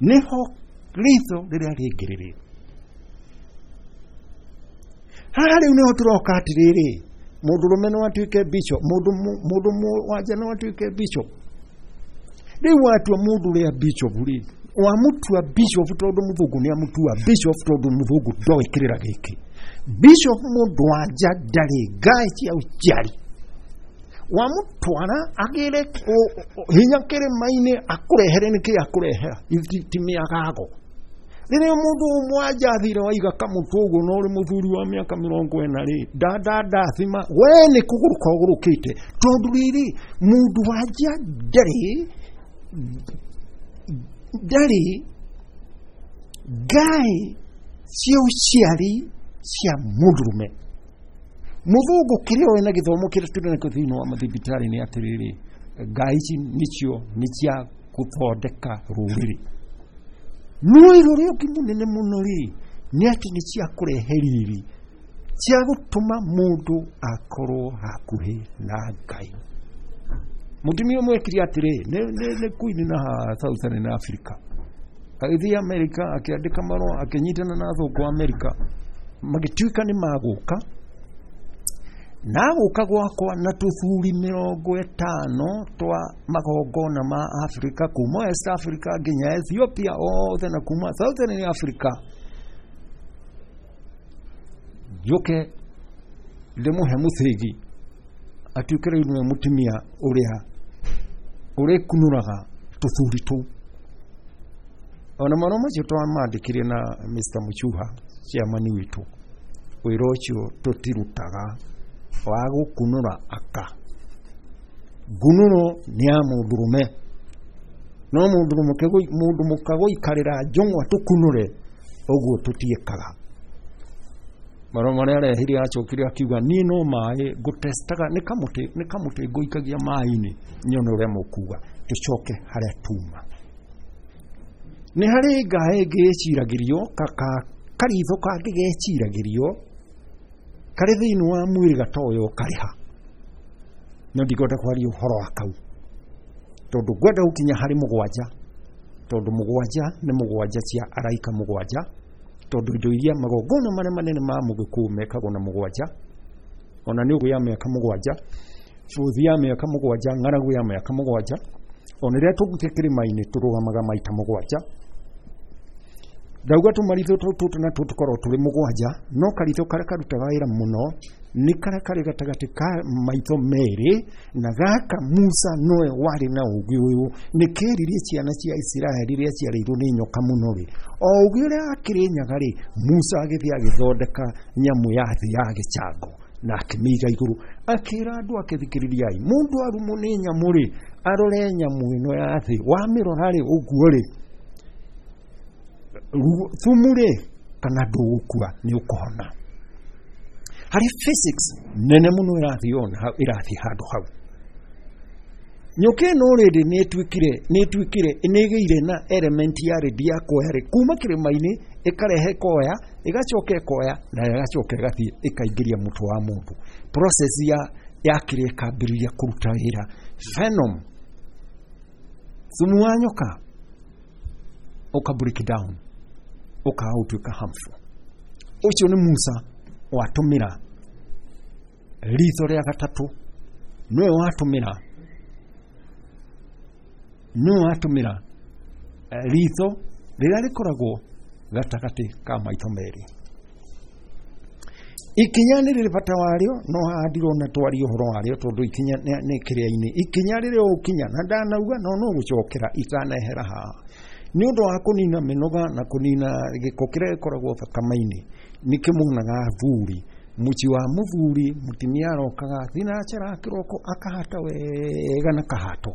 nĩho ritho rĩrĩa rĩngĩ rĩrĩ. Haha rĩu nĩho tũroka atĩrĩrĩ, mũndũrũme no atuĩke bishop, mũndũ mũndũ wanja no atuĩke bishop. Rĩu watua mũndũ ũrĩa bishop rĩ, wamũtua bishop tondũ mũthũngũ nĩ amũtua bishop, tondũ mũthũngũ ndoĩ kĩrĩra gĩkĩ. Bishop mũndũ wanja ndarĩ ngaĩ cia ũciari, wamũtwara agĩre hinya kĩrĩma-inĩ akũrehere nĩkĩ akũrehera ti mĩagago. Rĩrĩa mũndũ ũmwe wanja athire waiga kamũtwe ũguo na ũrĩ mũthuri wa mĩaka mĩrongo ĩna rĩ, ndanda ndathima we nĩ kũgũrũka ũgũrũkĩte, tondũ rĩrĩ mũndũ wanja ndarĩ ndarĩ ngaĩ cia ũciari cia mũndũrũme. Mũthũngũ kĩrĩa oĩ na gĩthomo kĩrĩa tũrĩ nakĩo thĩinĩ wa mathibitarĩ nĩ atĩrĩrĩ, ngaĩ ici nĩcio nĩ cia gũthondeka rũrĩrĩ, no wĩra ũrĩa ũngĩ mũnene mũno rĩ nĩ atĩ nĩ cia kũrehe riri, cia gũtũma mũndũ akorwo hakuhĩ na Ngai. Mũtumia ũmwe ekire atĩrĩ, nĩ queen na Southern Africa, agĩthiĩ America akĩandĩka marũa akĩnyitana na athũngũ a America, magĩtuĩka nĩ magũka na gũka gwakwa na tũthuri mĩrongo ĩtano twa magongona ma Africa, kuma West Africa nginya Ethiopia othe na kuma Southern Africa, njũke ndĩmũhe mũthĩgi atuĩke rĩu nĩwe mũtumia ũrĩa ũrĩkunũraga tũthuri tũu. Ona marũa macio twamandĩkire na Mister Muchuha chairman witũ, wĩra ũcio tũtirutaga wa gũkunũra aka. Ngunũro nĩ ya mũndũrũme, no mũndũ mũka gũikarĩra njũng'wa tũkunũre ũguo tũtiĩkaga. Marũa marĩa arehire acokire akiuga niĩ no maĩ ngũtestaga, nĩ kamũtĩ nĩ kamũtĩ ngũikagia maĩ-inĩ nyone ũrĩa mũkuga, tũcoke harĩa tuma. Nĩ harĩ ngaĩ ĩngĩ ĩciragĩrio karitho kangĩ geciragĩrio karĩ thĩinĩ wa mwĩrĩ gatoyo karĩha, no ndikwenda kwaria ũhoro wa kau tondũ ngwenda gũkinya harĩ mũgwanja, tondũ mũgwanja nĩ mũgwanja cia araika mũgwanja, tondũ indo iria magongona marĩa manene ma mũgĩkũyũ mekagwo na mũgwanja, ona nĩ ũguo ya mĩaka mũgwanja, bũthi ya mĩaka mũgwanja, ng'aragu ya mĩaka mũgwanja, Ona rĩrĩa tũgũthiĩ kĩrĩma-inĩ tũrũgamaga maita mũgwanja. Ndauga tũmaritho tũtũ natuo tũkoragwo tũrĩ mũgwanja, no karitho karĩa karutaga wĩra mũno nĩ karĩa karĩ gatagatĩ ka maitho merĩ, na gaka Musa nowe warĩ na ũũgĩ ũyũ. Nĩ keririe ciana cia Isiraeli rĩrĩa ciarĩirwo nĩ nyoka mũno rĩ, o ũũgĩ ũrĩa akĩrĩnyaga rĩ, Musa agĩthiĩ agĩthondeka nyamũ ya thĩ ya gĩcango na akĩmĩiga igũrũ, akĩra andũ ake, thikĩrĩriai, mũndũ arumwo nĩ nyamũ rĩ, arore nyamũ ĩno ya thĩ, wamĩrora rĩ ũguo rĩ, thumu rĩ, kana ndũgũkua, nĩ ũkũhona. Harĩ physics nene mũno ĩrathiĩ on ĩrathiĩ handũ hau. Nyoka ĩno rĩndĩ nĩ ĩtuĩkire nĩ ĩtuĩkire nĩ ĩgĩire na element ya rĩndi ya kuoya rĩ, kuma kĩrĩma-inĩ ĩkarehe koya, ĩgacoka ĩkoya na ĩgacoka ĩgathiĩ ĩkaingĩria mũtwe wa mũndũ. Process ya ya kĩrĩa ĩkambĩrĩria kũruta wĩra. Venom, thumu wa nyoka ũka break down, ũkaga gũtuĩka harmful. Ũcio nĩ Musa watũmĩra ritho rĩa gatatũ, nĩwe watũmĩra nĩwe watũmĩra ritho rĩrĩa rĩkoragwo gatagatĩ ka maitho merĩ. Ikinya nĩ rĩrĩ bata warĩo, no haha ndirona twarie ũhoro warĩo tondũ ikinya nĩ kĩrĩa-inĩ. Ikinya rĩrĩa ũgũkinya, na ndanauga no no gũcokera itanehera haha, nĩ ũndũ wa kũnina mĩnoga na kũnina gĩko kĩrĩa gĩkoragwo thakame-inĩ. Nĩkĩo muonaga athuri, mũciĩ wa mũthuri, mũtumia arokaga thinacara kĩroko akahata wega na kahato.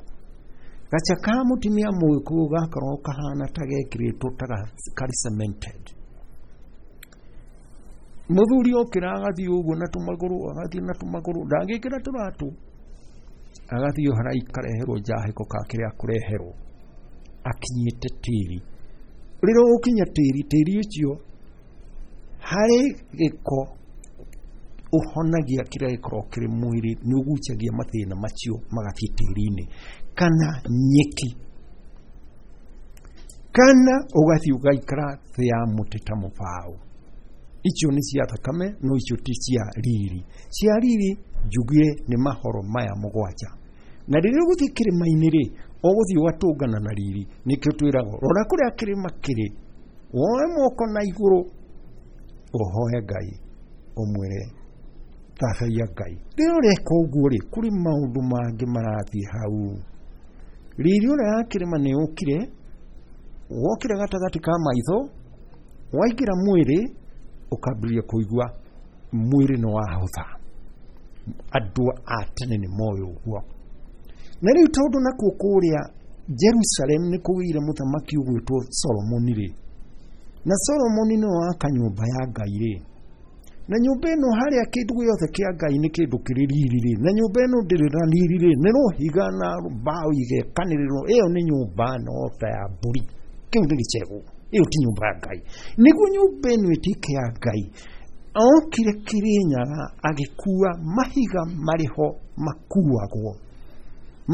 Gacha ka mũtumia mũgĩkũyũ gakoragwo kahana ta gekĩrĩtwo ta karĩ cemented. Mũthuri okĩra agathiĩ ũguo na tũmagũrũ, agathiĩ na tũmagũrũ, ndangĩkĩra tũratũ, agathiĩ harai kareherwo njahĩko ka kĩrĩa akũreherwo, akinyĩte tĩri. Rĩrĩa ũgũkinya tĩri, tĩri ũcio harĩ gĩko ũhonagia kĩrĩa gĩkoragwo kĩrĩ mwĩrĩ, nĩ ũgucagia mathĩna macio magathiĩ tĩri-inĩ, kana nyeki, kana ũgathiĩ ũgaikara thĩ ya mũtĩ ta mũbaũ. Icio nĩ cia thakame, no icio ti cia riri. Cia riri njugire nĩ mahoro maya mũgwanja. Na rĩrĩa ũgũthiĩ kĩrĩma-inĩ rĩ, ũgũthiĩ ũgatũngana na riri. Nĩkĩo twĩragwo rora kũrĩa kĩrĩma kĩrĩ, woe moko na igũrũ, ũhoe Ngai, ũmwĩre thathaiya Ngai. Rĩrĩa ũreka ũguo rĩ, kũrĩ maũndũ mangĩ marathiĩ hau. Riri ũrĩa ya kĩrĩma nĩ ũkire, wokire gatagatĩ ka maitho, waingĩra mwĩrĩ, ũkambĩrĩria kũigua mwĩrĩ nĩ wahũtha. Andũ a tene nĩ moĩ ũguo. Na rĩu tondũ nakuo kũrĩa Jerusalem nĩ kũgĩire mũthamaki ũgwĩtwo Solomoni rĩ, na Solomoni nĩwe waka nyũmba ya Ngai rĩ, na nyũmba ĩno harĩa kĩndũ gĩothe kĩa Ngai nĩ kĩndũ kĩrĩ riri rĩ, na nyũmba ĩno ndĩrĩ na riri rĩ, nĩ rũhiga na mbaũ igekanĩrĩrwo, ĩyo nĩ nyũmba no ta ya mbũri, kĩu nĩ gĩcegũ, ĩyo ti nyũmba ya Ngai. Nĩguo nyũmba ĩno ĩtuĩke ya Ngai, okire Kĩrĩnyaga agĩkua mahiga marĩ ho makuagwo,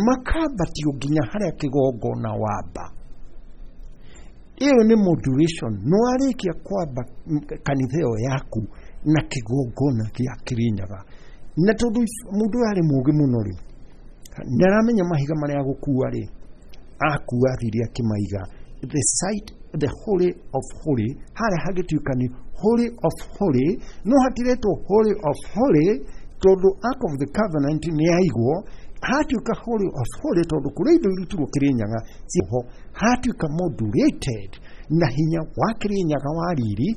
makambatio nginya harĩa kĩgongona wamba. Ĩyo nĩ modulation. No warĩkia kwamba kanitha ĩyo yaku na kĩgongona gĩa Kĩrĩnyaga, na tondũ mũndũ ũyũ arĩ mũũgĩ mũno rĩ, nĩ aramenya mahiga marĩa agũkua rĩ, akua athire akĩmaiga the site, the holy of holy, harĩa hagĩtuĩka nĩ holy of holy, no hatiretwo holy of holy tondũ Ark of the Covenant nĩ yaigwo, hatuĩka holy of holy tondũ kũrĩ indo irutirwo Kĩrĩnyaga ciho, hatuĩka modulated na hinya wa Kĩrĩnyaga wa riri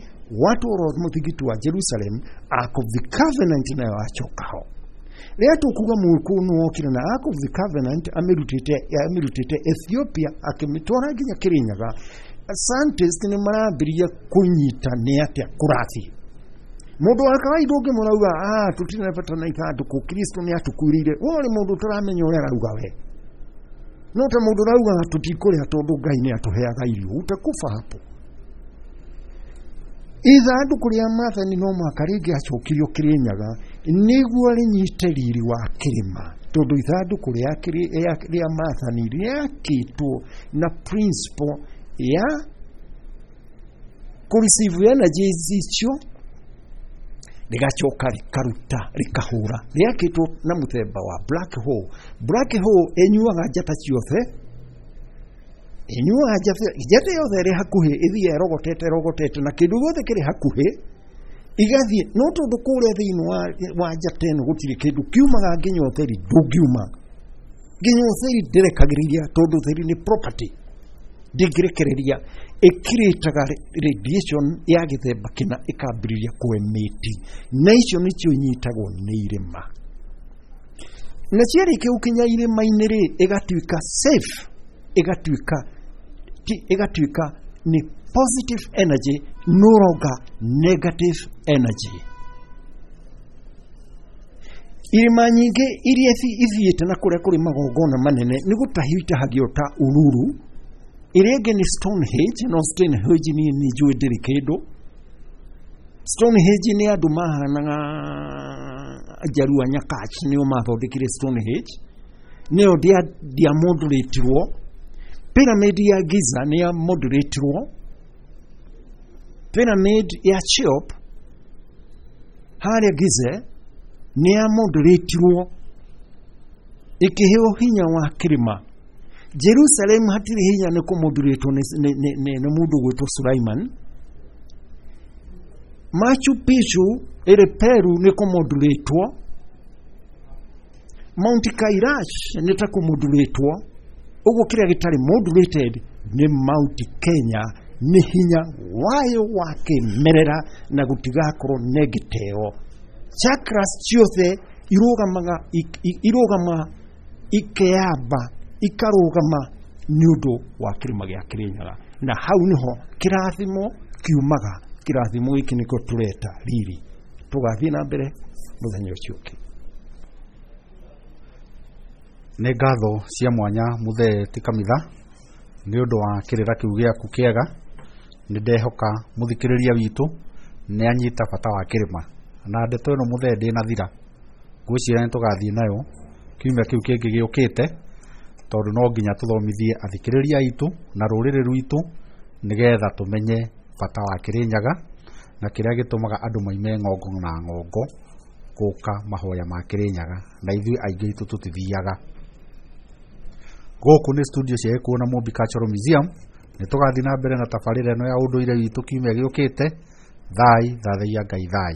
watwarwo mũthigiti wa Jerusalem, Ark of the Covenant nayo yacoka ho. Rĩrĩa tũkuga mũgĩkũyũ nĩ wokire na Ark of the Covenant amĩrutĩte amĩrutĩte Ethiopia akĩmĩtwara nginya Kĩrĩnyaga, scientists nĩ marambĩrĩria kũnyita nĩ atĩa kũrathiĩ. Mũndũ wa kawaida ũngĩmũrauga, ah, tũtirĩ na bata na ithandũkũ, Kristo nĩ atũkuĩrĩire, we ũrĩ mũndũ ũtaramenya ũrĩa arauga we. No ta mũndũ ũrauga tũtikũrĩa tondũ Ngai nĩ atũheaga irio, utakufa hapo. Ithandũkũ rĩa maathani no mũhaka rĩngĩacokirio Kĩrĩnyaga nĩguo rĩnyite riri wa kĩrĩma, tondũ ithandũkũ rĩa maathani rĩakĩtwo na principle ya kũ receive energies icio, rĩgacoka rĩkaruta rĩkahũra. Rĩakĩtwo na mũthemba wa black hole. Black hole ĩnyuaga njata ciothe Ĩnyuaga njata, njata yothe ĩrĩ hakuhĩ ĩthiĩ ĩrogotete ĩrogotete na kĩndũ gĩothe kĩrĩ hakuhĩ igathiĩ. No tondũ kũrĩa thĩinĩ wa, wa njata ĩno gũtirĩ kĩndũ kiumaga nginya ũtheri ndũngiuma, nginya ũtheri ndĩrekagĩrĩria tondũ ũtheri nĩ property, ndĩngĩrekereria. Ĩkirĩtaga radiation ya gĩthemba kĩna ĩkambĩrĩria kũemiti, na icio nĩcio inyitagwo nĩ irĩma, na ciarĩkia gũkinya irĩma-inĩ rĩ, ĩgatuĩka safe, ĩgatuĩka ĩgatuĩka nĩ positive energy, no longer negative energy. Irĩma nyingĩ iria ithiĩte na kũrĩa kũrĩ magongona manene nĩ gũtahio itahagio ta Uluru. Ĩrĩa ĩngĩ nĩ Stonehenge, no Stonehenge niĩ nĩ njũĩ ndĩrĩ kĩndũ. Stonehenge nĩ andũ mahanaga Njaruo a Nyakach nĩo mathondekire Stonehenge, nĩyo ndĩamodulĩtirwo. Pyramid ya Giza nĩ yamodulĩtirwo. Pyramid ya Cheops harĩa Giza nĩ yamodulĩtirwo ĩkĩheo hinya wa kĩrĩma. Jerusalem hatirĩ hinya, nĩ kũmodulĩtwo nĩ, nĩ, nĩ, nĩ mũndũ ũgwĩtwo Sulaiman. Machu Picchu ĩrĩ Peru nĩ kũmodulĩtwo. Mount Kailash nĩ ta kũmodulĩtwo. Ũguo kĩrĩa gĩtarĩ modulated nĩ Mount Kenya, nĩ hinya wayo wa kĩmerera na gũtigakorwo negĩteo. Chakras ciothe irũgamaga irũgama ikeyamba ikarũgama nĩ ũndũ wa kĩrĩma gĩa Kĩrĩnyaga, na hau nĩho kĩrathimo kiumaga. Kĩrathimo gĩkĩ nĩkĩo tũreta riri. Tũgathiĩ na mbere mũthenya ũcio ũngĩ. Nĩ ngatho cia mwanya mũthee ti kamitha nĩ ũndũ wa kĩrĩra kĩu gĩaku kĩega. Nĩ ndehoka mũthikĩrĩria witũ nĩ anyita bata wa kĩrĩma na ndeto ĩno mũthee ndĩnathira, ngwĩciria nĩ tũgathiĩ nayo kiumia kĩu kĩngĩ gĩũkĩte, tondũ no nginya tũthomithie athikĩrĩria aitũ na rũrĩrĩ rwitũ nĩgetha tũmenye bata wa Kĩrĩnyaga na kĩrĩa gĩtũmaga andũ maime ng'ongo na ng'ongo gũka mahoya ma Kĩrĩnyaga, na ithuĩ aingĩ aitũ tũtithiaga. Gũkũ nĩ studio cia Gĩkũyũ na Mũmbi Cultural Museum. Nĩ tũgathiĩ na mbere na tabarĩra ĩno ya ũndũire witũ kiumia gĩũkĩte. Thai thathaiya Ngai thai.